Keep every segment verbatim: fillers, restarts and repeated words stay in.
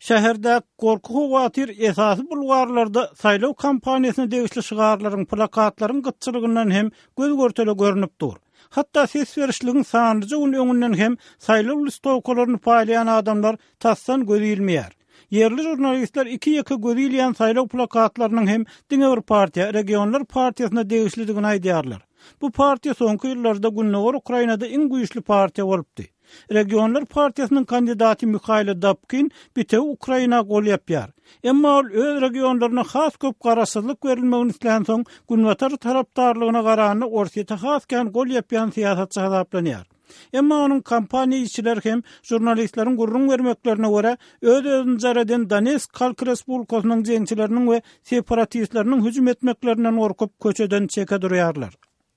Şäherde gorky-howatyr esasy bulwarlarda saýlaw kampaniýasyna degişli şygarlaryň, plakatlaryň gytçylygyndan hem göz-görtele görnüp dur. Hatda ses berişligiň sanlyja gün öňünden hem saýlaw listowkalaryny paýlaýan adamlar tasdan göz ilmeýär. Ýerli žurnalistler iki-ýeke göz ilýän saýlaw plakatlarynyň hem diňe bir partiýa, Regionlar partiýasyna degişlidigini aýdýarlar. Bu partiýa soňky ýyllarda Gündogar Ukrainada iň güýçli partiýa bolupdy. Regionlar partiýasynyň kandidaty Mihailo Dabkin bitewi Ukraina gol ýapýar. Emma ol öz regionlaryna has köp garaşsyzlyk berilmegini islänsoň, Günbatar tarapdarlygyna garanda Orsýete has kän gol ýapýan syýasatçy hasaplanýar. Emma onuň kampaniýa işçileri hem žurnalistleriň gürrüň bermeklerine görä, öz-özüni jar eden Donetsk Halk Respublikasynyň jeňçileriniň we separatistleriniň hüjüm etmeklerinden gorkup köçeden çeke durýarlar.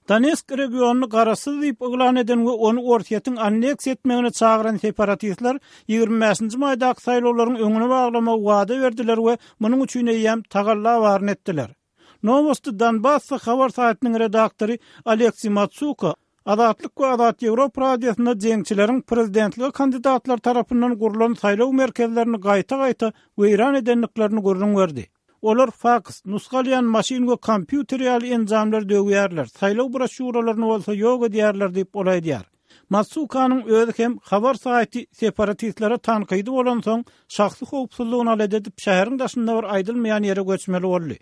Donetsk regionyny garaşsyz diýip yglan eden we ony Orsýetiň anneksiýa etmegine çagyran separatistler ýigrimi bäşinji maýdaky saýlawlaryň öňüni baglamagy wada berdiler we munuň üçin eýýäm tagalla baryny etdiler. Nowosti Donbassa habar saýtynyň redaktory Aleksiý Matsuka Azatlyk we Azat Ýewropa radiosynda jeňçileriň prezidentlige kandidatlar tarapyndan gurlan saýlaw merkezlerini gaýta-gaýta weýran edendiklerini gürrüň berdi. Olar faks, nusga alýan maşyn we kompýuter ýaly enjamlary döwýärler, saýlaw broşýuralaryny bolsa ýok edýärler diýip ol aýdýar. Matsukanyň özi hem habar saýty separatistlere tankydy bolansoň, şahsy howpsuzlygyny alada edip şäheriň daşynda bir aýdylmaýan ýere göçmeli boldy.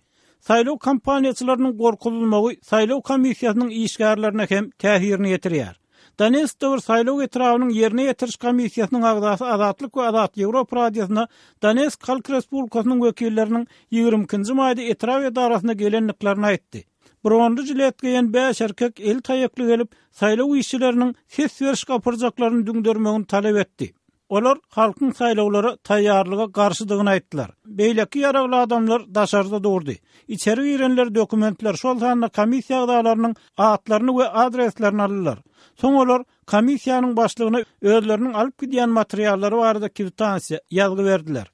Saýlaw kampaniýaçylarynyň gorkuzylmagy saýlaw komissiýasynyň işgärlerine hem täsirini ýetirýär. Donetskde bir saýlaw etrabynyň ýerine ýetiriş komissiýasynyň agzasy Azatlyk we Azat Ýewropa radiosyna Donetsk Halk Respublikasynyň wekilleriniň ýigrimi ikinji maýda etrap edarasyna gelendiklerini aýtdy. Bronly jilet geýen bäş erkek el taýakly gelip, saýlaw işçileriniň ses beriş gapyrjaklaryny düňdermegini talap etdi. Olar halkyň saýlawlara taýýarlyga garşydygyny aýtdylar. Beýleki ýaragly adamlar daşarda durdy. Içeri girenler dokumentler, şol sanda komissiýa agzalarynyň atlaryny we adreslerini aldylar. Soň olar komissiýanyň başlygyna özleriniň alyp gidýän materiallary barada kwitansiýa ýazgy berdiler.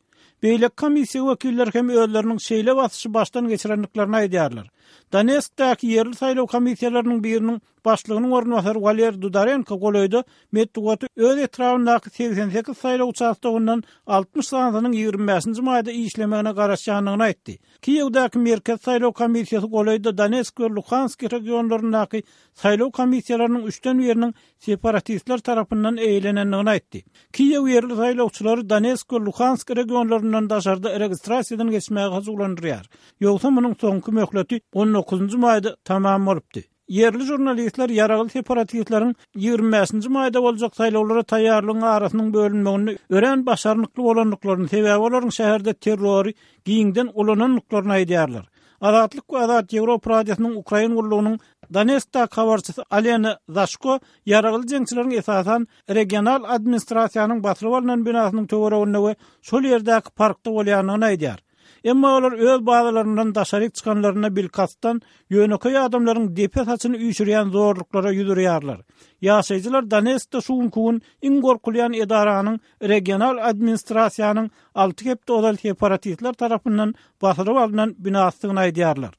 Beýleki komissiýa wekilleri hem özleriniň şeýle basyşy başdan geçirendiklerini aýdýarlar. Donetskdäki ýerli saýlaw komissiýalarynyň biriniň başlygynyň orunbasary Waler Dudarenko golaýda metbugaty öz etrabyndaky segsen sekiz saýlaw uçastogyndan altmyş sanysynyň ýigrimi bäşinji maýda işlemegine garaşýandygyny aýtdy. Kiýewdäki Merkezi saýlaw komissiýasy golaýda Donetsk we Luhansk regionlaryndaky saýlaw komissiýalarynyň üçden biriniň separatistler tarapyndan eýelenendigini aýtdy. Kiýew ýerli saýlawçylary Donetsk we Luhansk regionlaryndan daşarda registrasiýadan geçmäge hyjuwlandyrýar. Ýogsa munuň soňky möhleti on dokuzynjy maýda tamam bolupdy. Ýerli žurnalistler ýaragly separatistleriň ýigrimi bäşinji maýda boljak saýlawlara taýýarlygyň arasynyň bölünmeginde örän başarnykly bolandyklaryny, sebäbi olaryň şäherde terrory giňden ulanandyklaryny aýdýarlar. Azatlyk we Azat Ýewropa radiosynyň Ukrain gullugynyň Donetskdäki habarçysy Alena Zaşko ýaragly jeňçileriň esasan regional administrasiýanyň basylyp alnan binasynyň töwereginde we şol ýerdäki parkda bolýandygyny aýdýar. Emma olar öz bazalaryndan daşaryk çykanlarynda bilkastdan ýönekeý adamlaryň depe saçyny üýşürýän zorluklara ýüz urýarlar. Ýaşaýjylar Donetskde şu günki gün iň gorkulýan edaranyň regional administrasiýanyň alty hepde ozal separatistler tarapyndan basylyp alnan binasydygyny aýdýarlar.